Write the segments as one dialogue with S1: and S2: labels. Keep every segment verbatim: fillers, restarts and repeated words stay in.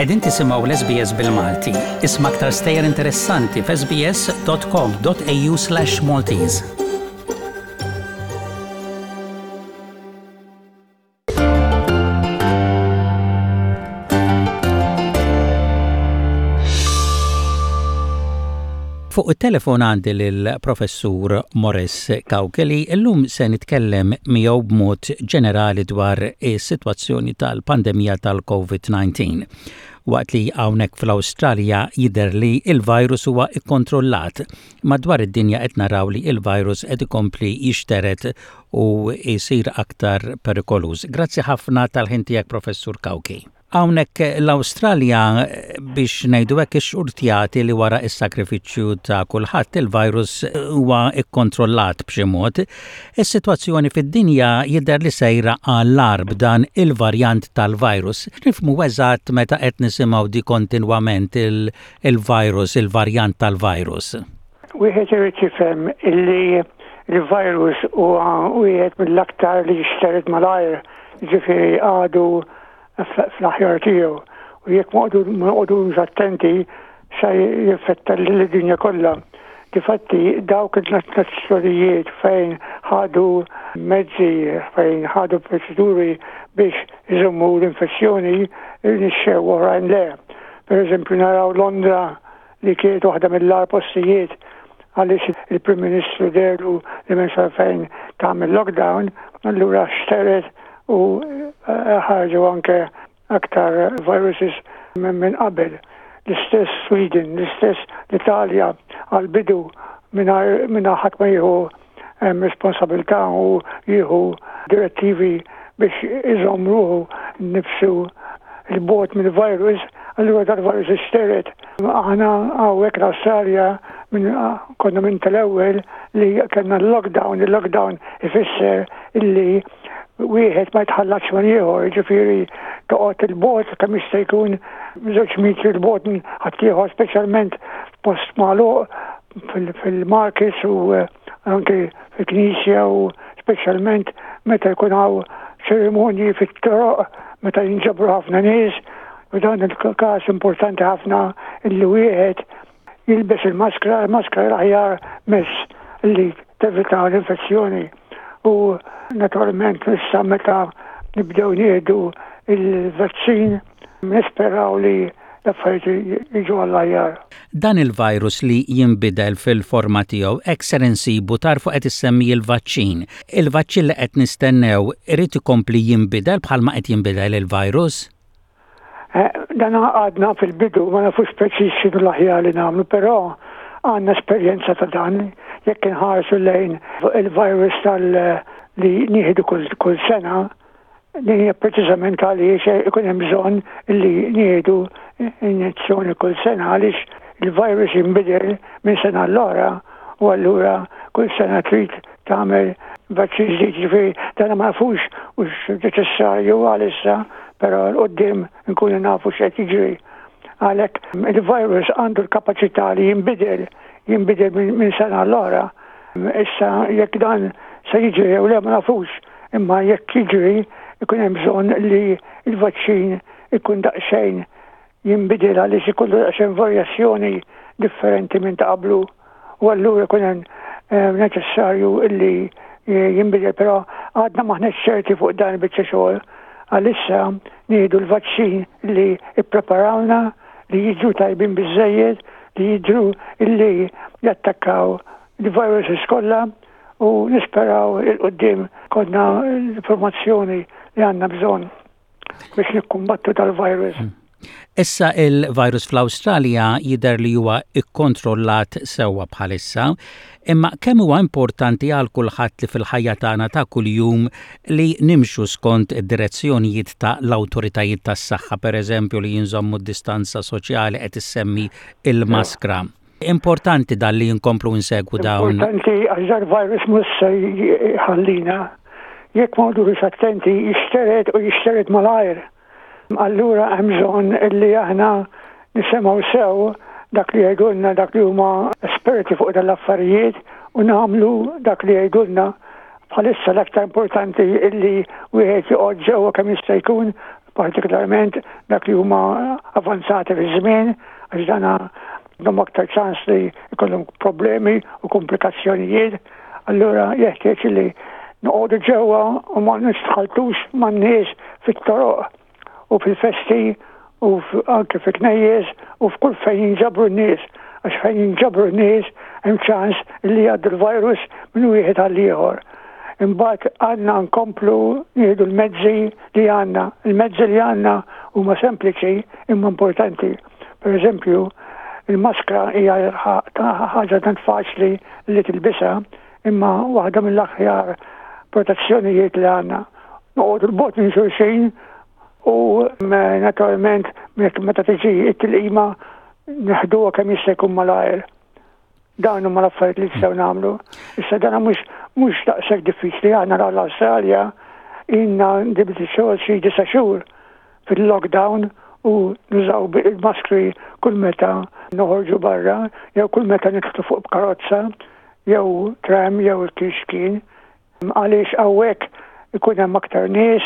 S1: Qegħdin tisimgħu l-S B S bil-Malti. Isma' aktar stejjer interessanti f'S B S dot com dot A U slash Maltese. Fuq it-telefon għandi lill-Professur Morris Cauchi li llum se nitkellem miegħu b'mod ġenerali dwar is-sitwazzjoni tal-pandemija tal-COVID nineteen. Waqt li hawnhekk fl-Awstralja jidher li il-virus huwa ikkontrollat, madwar id-dinja qed naraw li il-virus qed ikompli jixteret u jsir aktar perikoluż. Grazzi ħafna tal-ħin tiegħek, Professur Cauchi. Hawnhekk l-Awstralja, biex ngħidu hekk, ixxurtjati li wara is-sakrifiċċju ta' kulħadd il-virus huwa ikkontrollat b'xi mod. Is-sitwazzjoni fid-dinja jidher li sejra għall-agħar b'dan il-varjant tal-virus. Nifhmu eżatt meta qed nisimgħu di kontinwament il-virus, il-varjant tal-virus?
S2: Wieħed irid jifhem illi il-virus huwa wieħed mill-aktar li jixtered malajr, ġifieri għadu fl-aħjar tiegħu. U jekk ma noqogħdux attenti se jinfetta l-dinja kollha. Difatti dawk il-nazzjonijiet fejn ħadu mezzi, fejn ħadu proċeduri biex iżommu l-infezzjoni, irnexxew, oħrajn le. Per eżempju, naraw Londra li kienet waħda mill-agħar postijiet għaliex il-Prim Ministru deherlu li m'hemmx fejn tagħmel lockdown, allura xteret u eh, ħarġu anke aktar viruses minn qabel. L-istess Sweden, l-istess l-Italja għal-bidu minn ħadd ma jieħu responsabilità u jieħu direttivi biex iżomm ruħu nifsu 'l bogħod mill-virus, allura dal-virus ixteret. Aħna hawnhekk l-Australja konna minn tal-ewwel li kellna l-lockdown. Il-lockdown ifisser illi wieħed ma jitħallatx ma' ieħor, ġifieri toqgħod 'il bogħod kemm jista' jkun, żewġ metri 'l bogħod minn ħaddieħor, speċjalment post magħluq, fil-markets u eh, anke fil-knisja u speċjalment meta jkun hawn ċerimonji fit-toroq, meta jinġabru ħafna nies. U dan il-każ importanti ħafna illi wieħed jilbes il-maskra, il-maskra l-aħjar mezz li tevita l-infezzjoni. U naturalment issa meta nibdew nieħdu il-vaċċin nisperaw li l-affarijiet jiġu għall-aħjar.
S1: Dan il-virus li jinbidel fil-forma tiegħu, hekk ser insibu tarfu qed issemmi il-vaċċin. Il-vaċċin li qed nistennew irid ikompli jinbidel bħalma qed jinbidel il-virus?
S2: Eh, dan għadna fil-bidu, ma nafux preċiż x'inhu l-aħjar li nagħmlu, però għandna esperjenza ta' dan. Jekk inħarsu lejn il-virus tal li nieħdu kull, kull sena, din hija preċiżament għaliex ikun hemm bżonn li nieħdu injezzjoni kull sena, għaliex il-virus jinbidel minn sena l-oħra u allura kull sena trid tagħmel vaċċin ġdid. Ġifieri dan ma nafux hux neċessarju għalissa, però 'l quddiem nkunu nafu x'qed jiġri. Għalhekk il-virus għandu l-kapaċità li jinbidel, jinbidel minn sena l-oħra. Issa jekk dan se jiġri jew le ma nafux, imma jekk jiġri ikun hemm bżonn li il-vaċċin ikun daqsxejn jinbidel għaliex ikollu daqsxejn varjazzjoni differenti minn ta' qablu u allura ikun hemm eh, neċessarju illi jinbidel, però għadna m'aħniex ċerti fuq dan il-biċċa xogħol. Għalissa nieħdu l-vaċċin li ippreparawna, li jiġu tajbin biżejjed, li jidru illi jattakkaw il-viruses kollha u nisperaw 'il quddiem ikollna l-informazzjoni li għandna bżonn biex nikkumbattu dal-virus.
S1: Hmm. Issa il-virus fl-Awstralja jidher li huwa ikkontrollat sewwa bħalissa, imma kemm huwa importanti għal kulħadd li fil-ħajja tagħna ta' kuljum li nimxu skont id-direzzjonijiet ta' l-awtoritajiet tas-saħħa, pereżempju li jinżommu d-distanza soċjali, qed issemmi il-maskra? Importanti dan li nkomplu nsegwu dawn.
S2: Importanti għax dal-virus mhux se jħallina. Jekk ma noqogħdux attenti jixtered u jixtered malajr. Allura hemm bżonn illi aħna nisimgħu sew dak li jgħidulna dak li huma esperti fuq dal-affarijiet u nagħmlu dak li jgħidulna. Bħalissa l-aktar importanti illi wieħed joqgħod ġewwa kemm jista' jkun. Partikolarment dak li huma avanzati fi żmien, għax dana għandhom aktar ċans li jkollhom problemi u komplikazzjonijiet. Allura jeħtieġ li noqogħdu ġewwa u ma nistħaltux man-nies fit-toroq u fil-festi u anke fi knejjes u f'kull fejn jinġabru n-nies, għax fejn jinġabru n-nies hemm ċans li jgħaddu l-virus minn wieħed għal ieħor. Imbagħad għandna nkomplu nieħdu l-mezzi li għandna. Il-mezzi li għandna huma sempliċi imma importanti. Per eżempju, il-maskra hija ħaġa tant faċli li tilbisha, imma waħda mill-aħjar protezzjonijiet li għandna. Noqogħdu 'l bogħod minn xulxin u naturalment meta tiġi it-tilqima neħduha kemm jista' jkun malajr. Dawn huma l-affarijiet li nistgħu nagħmlu. Issa dan mhux mhux daqshekk diffiċli. Aħna l-Awstralja ilna dibti xogħol xi disa' xhur fil-lockdown u nużaw il-maskri kull meta noħorġu barra jew kull meta nidħlu fuq karozza jew tram jew kif kien. Għaliex hawnhekk ikun hemm aktar nies,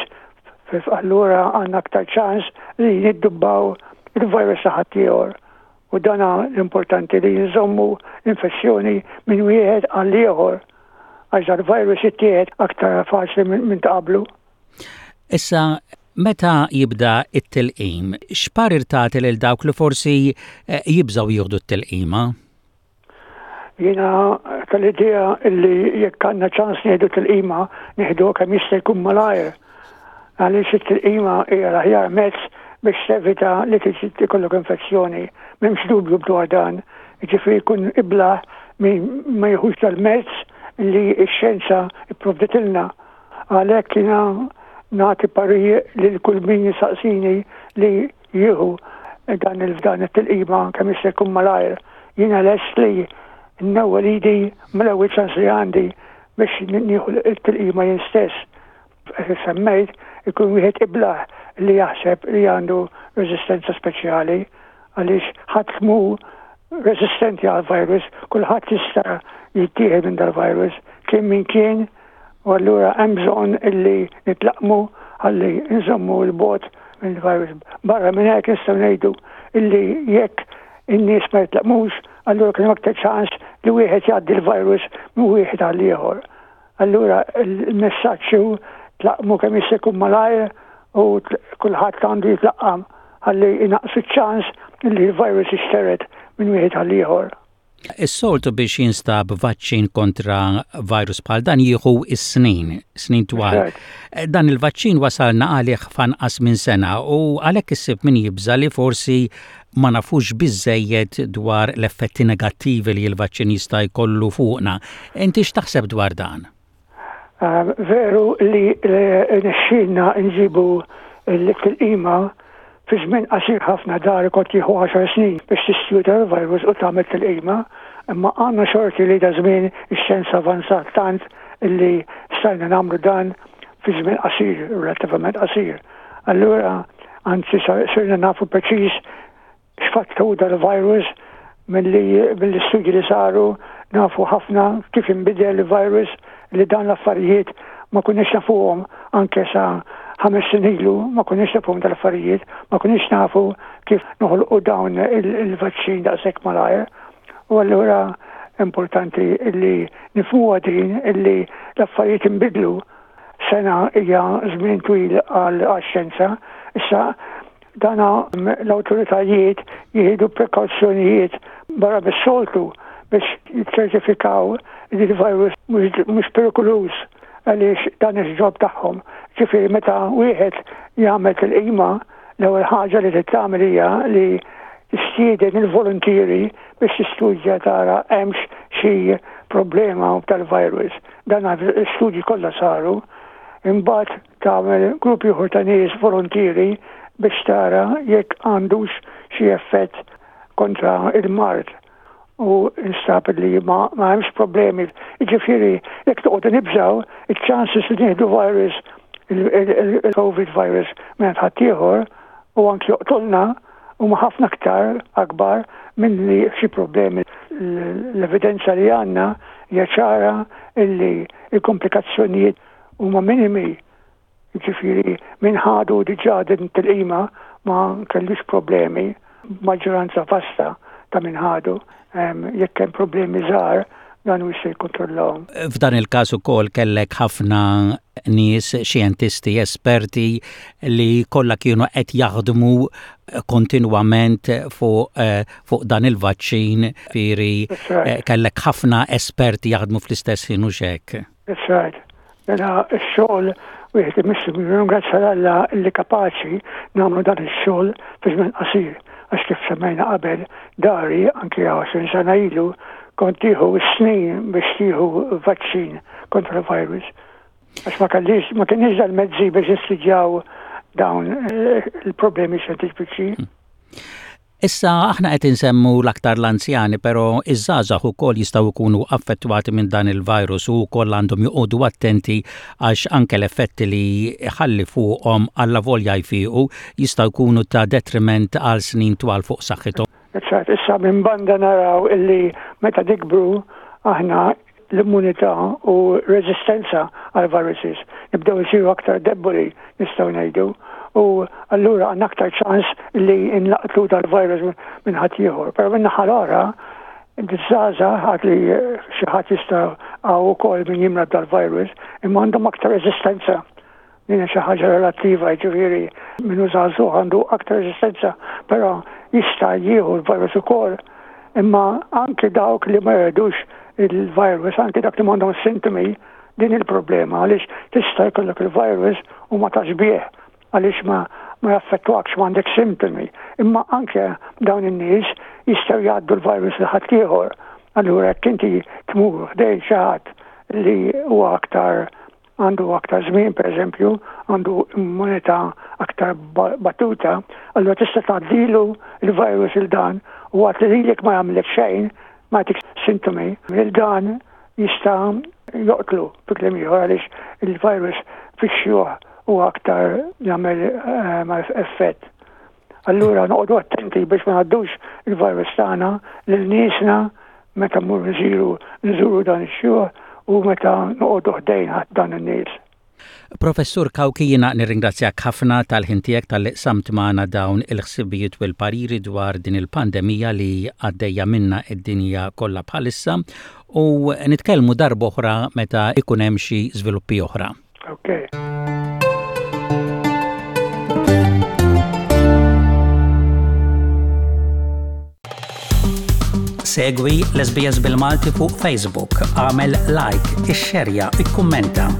S2: allura għandna aktar ċans li niddubbaw il-virus ta' ħaddieħor. U dana l-importanti, li nżommu l-infezzjoni minn wieħed għal ieħor, għax dal-virus jittieħed aktar faċli minn ta' qablu.
S1: Issa, meta jibda it-tilqim, x'parir tagħti lil dawk li forsi eh, jibżgħu jieħdu t-tilqima?
S2: Jiena tal-idea illi jekk għandna ċans nieħdu tilqima, nieħdu kemm jista' jkun malajr. Għaliex it-tilqima hija l-aħjar mezz biex tevita li tiġi ikollok infezzjoni. M'hemmx dubju dwar dan. Ġifieri jkun iblah min ma jieħux tal-mezz li x-xjenza ipprovditilna. Għalhekk jiena nagħti parir lil kull min jisaqsini li jieħu dan il-dan it-tilqima kemm jista' jkun malajr. Jiena lest li nnewwel idi mill-ewwel ċans li għandi biex nieħu t-tilqima jien stess. Semmejt, ikun wieħed iblah li jaħseb li għandu reżistenza speċjali, għaliex ħadd mhu resistenti għal virus, kulħadd jista' jittieħed minn dal-virus, kien min kien, u allura hemm bżonn illi nitlaqqmu ħalli nżommu 'l bogħod mill-virus. Barra minn hekk, nistgħu ngħidu illi jekk in-nies ma jitlaqqmux, allura kien aktar ċans li wieħed jgħaddi l-virus minn wieħed għal ieħor. Allura il-messaġġ hu tlaqqmu kemm jista' jkun malajr u kulħadd għandu jitlaqqam ħalli inaqqsu ċ-ċans li l-virus jixtered minn wieħed għal ieħor.
S1: Is-soltu biex jinstab vaċċin kontra virus bħal dan jieħu is-snin, snin twal. Dan il-vaċċin wasalna għalih f'anqas minn sena u għalhekk issib min jibża li forsi ma nafux biżejjed dwar l-effetti negattivi li l-vaċċin jista' jkollu fuqna. Inti x'taħseb dwar dan?
S2: Veru li rnexxielna nġibu l-tilqima fi żmien qasir ħafna. Dar kont jieħu għaxar snin biex tistudja l-virus u tagħmel tilqima, imma għandna xorti li da żmien ix-xjenza avanzat tant illi stajna nagħmlu dan fi żmien qasir, relattivament qasir. Allura, anzi, sirna nafu preċiż x'fattu dal-virus mill-istudji li saru, nafu ħafna kif inbidel il-virus, li dan l-affarijiet ma kunniex nafuhom anke sa ħames snin ilu, ma kunniex nafuhom dal-affarijiet, ma kunniex nafu kif noħolqu dawn il-vaċċin daqshekk malajr. U allura importanti illi nifhmuha din, illi l-affarijiet inbidlu. Sena hija żmien twil għal xjenza. Issa dana l-awtoritajiet jieħdu prekawzjonijiet barra bis-soltu biex jiċċertifikaw li l-virus mhux perikoluż, għaliex dan il-job tagħhom. Ġifieri meta wieħed jagħmel tilqima, l-ewwel ħaġa li tagħmel hija li tistieden il-volontieri biex tistudja, tara hemmx xi problema tal-virus. Dan l-istudji kollha saru. Imbagħad tagħmel grupp ieħor ta' nies volontieri biex tara jekk għandux xi effett kontra il-mard, u instab li ma, ma hemmx problemi. Ġifieri, jekk toqgħod nibżaw, il-chances li nieħdu virus, il-COVID virus minn ħaddieħor u anki joqtolna, huma ħafna aktar akbar minn li xi problemi. L-evidenza li għandna hija ċara illi il-komplikazzjonijiet huma minimi. Jiġifieri min ħadu diġà din tilqima ma kellux problemi, maġġoranza vasta ta' min ħadu. Jekk hemm problemi żgħar, dan u jista' jikkontrollahom.
S1: F'dan il-każ ukoll kellek ħafna nies, xjentisti, esperti li kollha kienu qed jaħdmu kontinwament fuq eh, fuq dan il-vaċċin, ġifieri eh, kellek ħafna esperti jaħdmu fl-istess ħin u hekk.
S2: That's right. Mela x-xogħol wieħed imissu ringrazzja Alla li kapaċi nagħmlu dan ix-xogħol fi żmien qasir, għax kif semmejna qabel dari anke għoxrin sena ilu kont tieħu snin biex tieħu vaċċin kontra l-virus. Għax ma kellix ma kienx dal-mezzi biex nistudjaw dawn eh, il-problemi xjentifiċi.
S1: Hmm. Issa aħna qed insemmu l-aktar l-anzjani, però iż-żgħażagħ ukoll jistgħu jkunu affettwati minn dan il-virus u wkoll għandhom joqogħdu attenti, għax anke l-effetti li ħalli fuqhom, allavolja jfiqu, jistgħu jkunu ta' detriment għal snin twal fuq saħħithom.
S2: Issa minn banda naraw illi meta nikbru aħna l-immunità u reżistenza għal viruses nibdew isiru aktar deboli, nistgħu ngħidu, u allura għandna aktar ċans li nlaqtu dal-virus minn ħadd ieħor. Però minn naħa l-oħra, iż-żgħażagħ għad li xi ħadd jista' hawn ukoll min jimrad dal-virus, imma għandhom aktar reżistenza. Din xi ħaġa relattiva, jiġifieri min hu żagħżugħ għandu aktar reżistenza, però jista' jieħu l-virus ukoll. Imma anke dawk li ma jridux il-virus, anke dak li m'għandhom sintomi, din il-problema għaliex tista' jkollok il-virus u ma tafx bih, għaliex ma ma jaffettwakx, ma għandek sintomi. Imma anke dawn in-nies jistgħu jgħaddu l-virus lil ħaddieħor. Allura jekk inti tmur ħdejn xi ħadd li huwa aktar għandu aktar żmien, pereżempju, għandu immunità aktar battuta, allura tista' tgħaddilu il-virus lil dan u għat li lilek ma jagħmlek xejn, ma jtik sintomi, lil dan jista' joqtlu, fi kliem ieħor, għaliex il-virus fix-xjuħ u aktar jagħmel eh, effett. Allura noqogħdu attenti biex ma ngħaddux il-virus tagħna lil niesna meta mmorru nżuru nżuru dan ix-xjuħ u meta noqogħdu ħdejn dan in-nies.
S1: Professur Cauchi, jiena nirringrazzjak ħafna tal-ħin tiegħek, talli qsamt magħna dawn il-ħsibijiet u l-pariri dwar din il-pandemija li għaddejja minna id-dinja kollha bħalissa, u nitkellmu darb'oħra meta ikun hemm xi żviluppi oħra.
S2: Okay.
S1: Segwi l-S B S bil-Malti fuq Facebook, għamel like, ixxerja, ikkummenta.